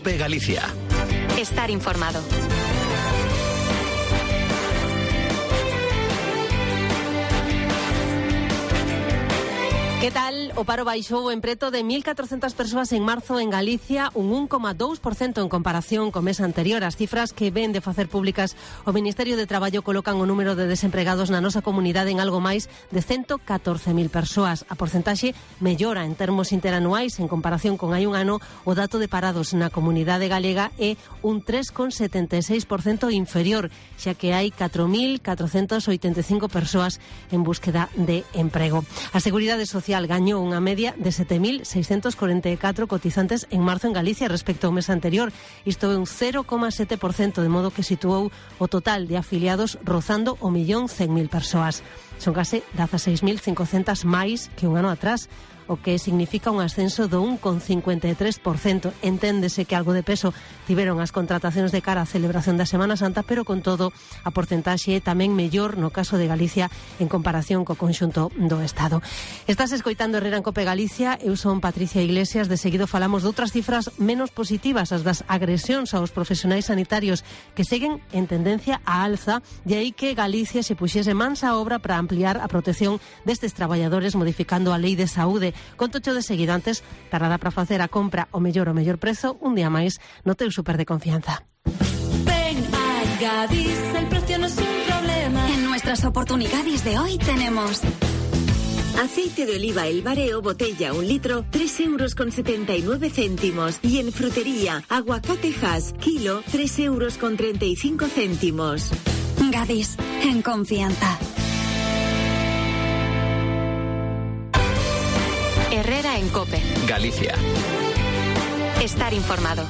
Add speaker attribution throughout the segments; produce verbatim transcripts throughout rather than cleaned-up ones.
Speaker 1: COPE Galicia.
Speaker 2: Estar informado.
Speaker 3: Que tal? O paro baixou en preto de mil catrocentas persoas en marzo en Galicia, un un coma dous por cento en comparación co mes anterior. As cifras que ven de facer públicas o Ministerio de Traballo colocan o número de desempregados na nosa comunidade en algo máis de ciento catorce mil persoas. A porcentaxe mellora en termos interanuais en comparación con hai un ano. O dato de parados na comunidade galega é un tres coma setenta e seis por cento inferior, xa que hai catro mil catrocentas oitenta e cinco persoas en búsqueda de emprego. A Seguridade Social gañou unha media de sete mil seiscentos corenta e catro cotizantes en marzo en Galicia respecto ao mes anterior. Isto é un cero coma sete por cento, de modo que situou o total de afiliados rozando o millón cen mil persoas. Son case dezaseis mil cincocentas máis que un ano atrás, o que significa un ascenso do un coma cincuenta e tres por cento. Enténdese que algo de peso tiveron as contratacións de cara á celebración da Semana Santa, pero con todo a porcentaxe é tamén mellor no caso de Galicia en comparación co conxunto do Estado. Estás escoitando Herrera en Cope Galicia, eu son Patricia Iglesias. De seguido falamos de outras cifras menos positivas, as das agresións aos profesionais sanitarios, que seguen en tendencia á alza, de aí que Galicia se puxese mansa obra para ampliar a protección destes traballadores modificando a Lei de Saúde. Contocho de seguido, antes tarada para facer a compra o mellor o mellor prezo un día máis no teu super de confianza.
Speaker 4: Ven a Gadis, el precio no es un problema.
Speaker 2: En nuestras oportunidades de hoy tenemos
Speaker 5: aceite de oliva El Bareo, botella un litro, tres euros con setenta y nueve céntimos. Y en frutería, aguacate Hass, kilo, tres euros con treinta y cinco céntimos.
Speaker 2: Gadis, en confianza. Herrera en Cope
Speaker 1: Galicia.
Speaker 2: Estar informado.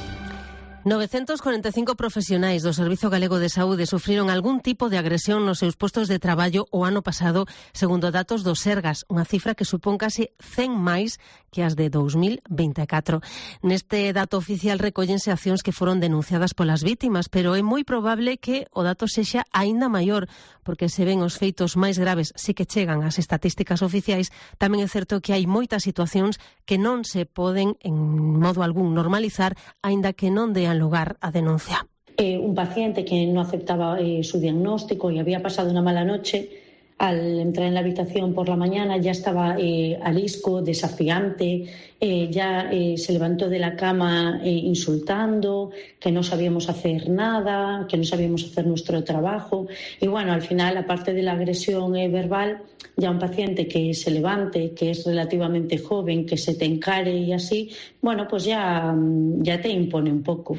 Speaker 3: novecentos corenta e cinco profesionais do Servizo Galego de Saúde sufriron algún tipo de agresión nos seus postos de traballo o ano pasado, segundo datos do Sergas, unha cifra que supón case cen máis que as de dous mil vinte e catro. Neste dato oficial recóllense accións que foron denunciadas polas vítimas, pero é moi probable que o dato sexa aínda maior, porque se ven os feitos máis graves si que chegan ás estatísticas oficiais. Tamén é certo que hai moitas situacións que non se poden en modo algún normalizar, aínda que non dean lugar a denuncia.
Speaker 6: Eh, un paciente que no aceptaba eh, su diagnóstico y había pasado una mala noche, al entrar en la habitación por la mañana ya estaba eh, arisco, desafiante, eh, ya eh, se levantó de la cama eh, insultando, que no sabíamos hacer nada, que no sabíamos hacer nuestro trabajo. Y bueno, al final, aparte de la agresión eh, verbal, ya un paciente que se levante, que es relativamente joven, que se te encare y así, bueno, pues ya, ya te impone un poco.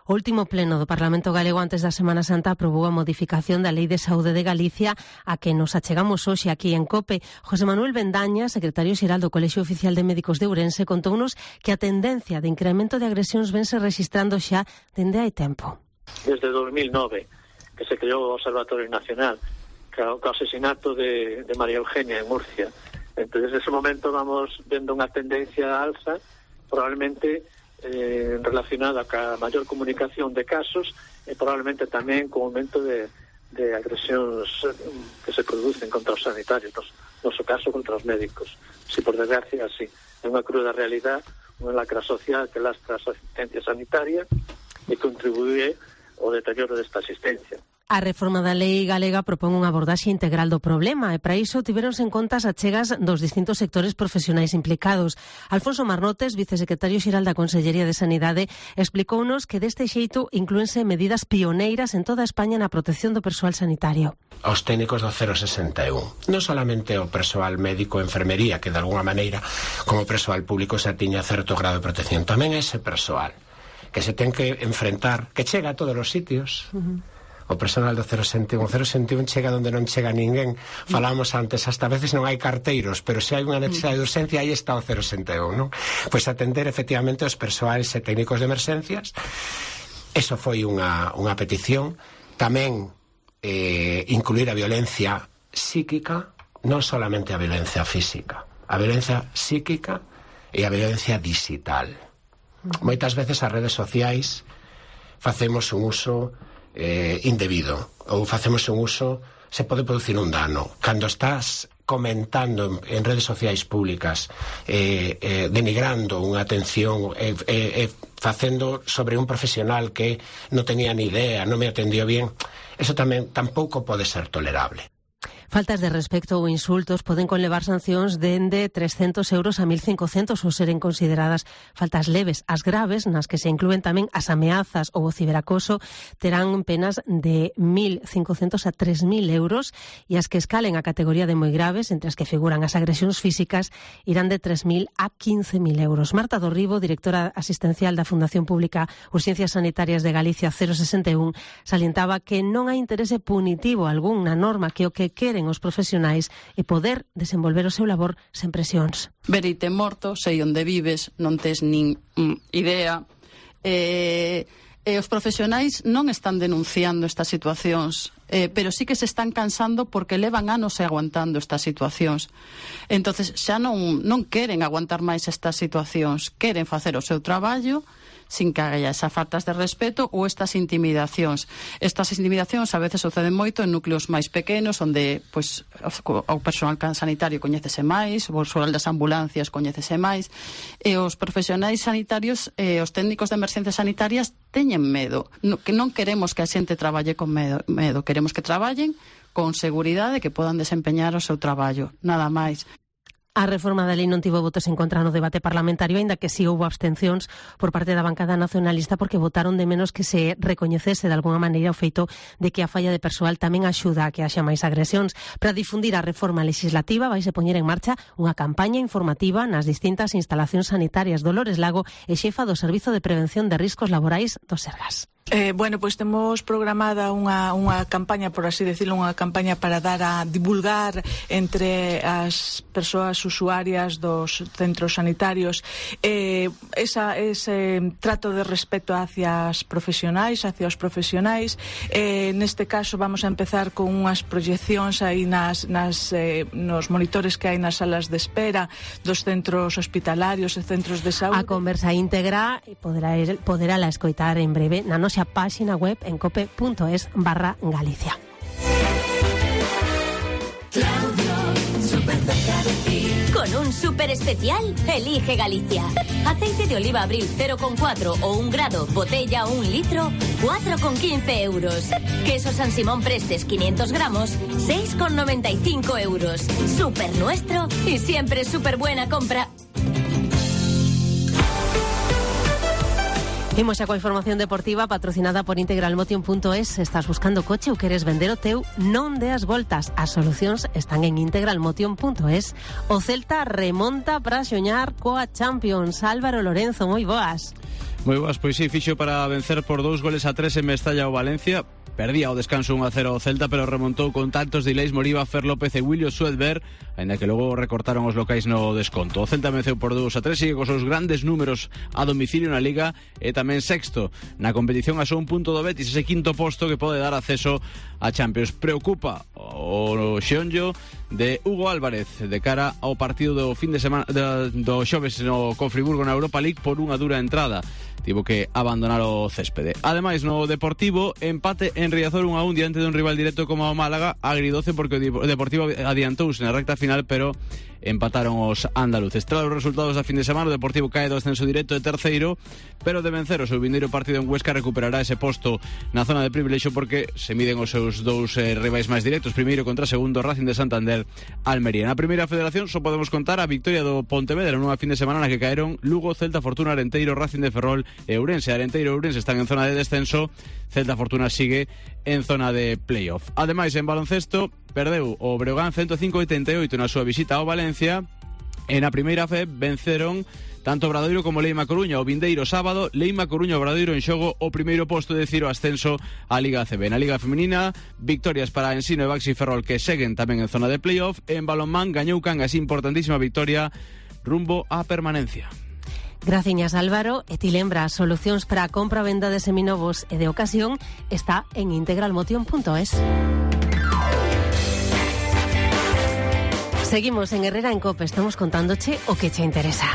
Speaker 3: O último pleno do Parlamento Galego antes da Semana Santa aprobou a modificación da Lei de Saúde de Galicia, a que nos achegamos hoxe aquí en Cope. José Manuel Bendaña, secretario xeral do Colexio Oficial de Médicos de Ourense, contounos que a tendencia de incremento de agresións vense registrando xa dende hai tempo.
Speaker 7: Desde dos mil nove, que se creou o Observatorio Nacional, que o asesinato de, de María Eugenia en Murcia. Entonces, desde ese momento vamos vendo unha tendencia alza, probablemente Eh, relacionada ca maior comunicación de casos e probablemente tamén co aumento de, de agresións que se producen contra os sanitarios, no noso caso contra os médicos. Si por desgracia, así, é unha cruda realidade, unha lacra social que lastra a asistencia sanitaria e contribuye ao deterioro desta asistencia.
Speaker 3: A reforma da lei galega propón unha abordaxe integral do problema e para iso tiveronse en conta as achegas dos distintos sectores profesionais implicados. Alfonso Marnotes, vicesecretario xeral da Consellería de Sanidade, explicounos que deste xeito inclúense medidas pioneiras en toda España na protección do persoal sanitario.
Speaker 8: Os técnicos do cero sesenta e un, non solamente o persoal médico e enfermería, que de alguna maneira como persoal público xa tiña certo grado de protección, tamén ese persoal que se ten que enfrentar, que chega a todos os sitios. Uh-huh. O personal do cero sesenta e un, o cero sesenta e un chega onde non chega ninguén. Falábamos antes, hasta a veces non hai carteiros, pero se hai unha necesidade de urgencia, aí está o cero sesenta e un, non? Pois atender efectivamente os persoais e técnicos de emerxencias. Eso foi unha, unha petición. Tamén eh, incluir a violencia psíquica, non solamente a violencia física, a violencia psíquica e a violencia digital. Moitas veces as redes sociais facemos un uso Eh, indebido ou facemos un uso, se pode producir un dano cando estás comentando en, en redes sociais públicas eh, eh, denigrando unha atención eh, eh, eh, facendo sobre un profesional que non tenía ni idea, non me atendió bien, eso tamén tampouco pode ser tolerable.
Speaker 3: Faltas de respecto ou insultos poden conlevar sancións dende trescentos euros a mil cincocentos ou seren consideradas faltas leves. As graves, nas que se inclúen tamén as ameazas ou o ciberacoso, terán penas de mil cincocentos a tres mil euros e as que escalen a categoría de moi graves, entre as que figuran as agresións físicas, irán de tres mil a quince mil euros. Marta Dorribo, directora asistencial da Fundación Pública Urxencias Sanitarias de Galicia cero sesenta e un, salientaba que non hai interese punitivo algún na norma, que o que queren os profesionais e poder desenvolver o seu labor sen presións.
Speaker 1: Vereite morto, sei onde vives, non tes nin mm, idea. E, e os profesionais non están denunciando estas situacións, eh, pero sí que se están cansando porque levan anos aguantando estas situacións. Entonces xa non, non queren aguantar máis estas situacións, queren facer o seu traballo sin que haya esas faltas de respeto ou estas intimidacións. Estas intimidacións a veces suceden moito en núcleos máis pequenos, onde pois, o personal sanitario coñécese máis, o persoal das ambulancias coñécese máis, e os profesionais sanitarios, e os técnicos de emerxencias sanitarias teñen medo. No, que non queremos que a xente traballe con medo, medo. Queremos que traballen con seguridade, que podan desempeñar o seu traballo, nada máis.
Speaker 3: A reforma da lei non tivo votos en contra no debate parlamentario, aínda que si houbo abstencións por parte da bancada nacionalista, porque votaron de menos que se recoñecese de alguna maneira o feito de que a falla de persoal tamén axuda a que haxa máis agresións. Para difundir a reforma legislativa vaise poñer en marcha unha campaña informativa nas distintas instalacións sanitarias. Dolores Lago é xefa do Servizo de Prevención de Riscos Laborais do Sergas.
Speaker 9: Eh, bueno, pois temos programada unha, unha campaña, por así decirlo, unha campaña para dar a divulgar entre as persoas usuarias dos centros sanitarios eh, esa, ese trato de respeto hacia as profesionais, hacia os profesionais. Eh, neste caso vamos a empezar con unhas proyeccións aí nas, nas, eh, nos monitores que hai nas salas de espera dos centros hospitalarios e centros de saúde.
Speaker 3: A conversa íntegra poderá, poderá la escoitar en breve na nosa página web en cope.es barra Galicia.
Speaker 10: Con un súper especial, elige Galicia. Aceite de oliva Abril cero coma cuatro o un grado, botella un litro, cuatro coma quince euros. Queso San Simón Prestes quinientos gramos, seis coma noventa y cinco euros. Súper nuestro y siempre súper buena compra.
Speaker 3: Imos xa coa información deportiva patrocinada por integralmotion punto es. Estás buscando coche ou queres vender o teu? Non deas voltas. As solucións están en integralmotion punto es. O Celta remonta para xoñar coa Champions. Álvaro Lorenzo, moi boas.
Speaker 11: Moi boas, pois sí, fixo para vencer por dous goles a tres en Mestalla o Valencia. Perdía o descanso un a cero o Celta, pero remontou con tantos delays Moriba, Fer López e William Suedberg, ainda que logo recortaron os locais no desconto. O Celta venceu por dous a tres, sigue cos seus grandes números a domicilio na Liga e tamén sexto na competición a só un punto do Betis, ese quinto posto que pode dar acceso a Champions. Preocupa o xeonllo de Hugo Álvarez de cara ao partido do fin de semana do, do xoves no con Friburgo na Europa League por unha dura entrada. Tivo que abandonar o céspede. Ademais, no Deportivo, empate en Riazor un a un diante dun rival directo como o Málaga, agridoce porque o Deportivo adiantouse na recta final, pero empataron os andaluces. Tras os resultados da fin de semana, o Deportivo cae do ascenso directo de terceiro, pero de vencer o seu vindeiro partido en Huesca recuperará ese posto na zona de privilexio porque se miden os seus dous eh, rivais máis directos, primeiro contra segundo, Racing de Santander, Almería. Na primeira federación só podemos contar a victoria do Pontevedra nunha fin de semana na que caeron Lugo, Celta, Fortuna, Arenteiro, Racing de Ferrol e Ourense. Arenteiro e Ourense están en zona de descenso, Celta Fortuna sigue en zona de playoff. Ademais, en baloncesto, perdeu o Breogán ciento cinco a oitenta e oito na súa visita ao Valencia. E na primeira fe venceron tanto Obradoiro como Leima Coruña o vindeiro sábado. Leima Coruña e Obradoiro en xogo o primeiro posto de Ciro ascenso á Liga A C B. Na Liga Femenina, victorias para Ensino e Baxi Ferrol que seguen tamén en zona de playoff. En balonmán gañou Cangas, importantísima victoria rumbo á permanencia.
Speaker 3: Graciñas, Álvaro. E ti lembra, solucións para a compra, venda de seminovos e de ocasión está en integralmotion punto es. Seguimos en Herrera en Cope, estamos contándoche o que che interesa.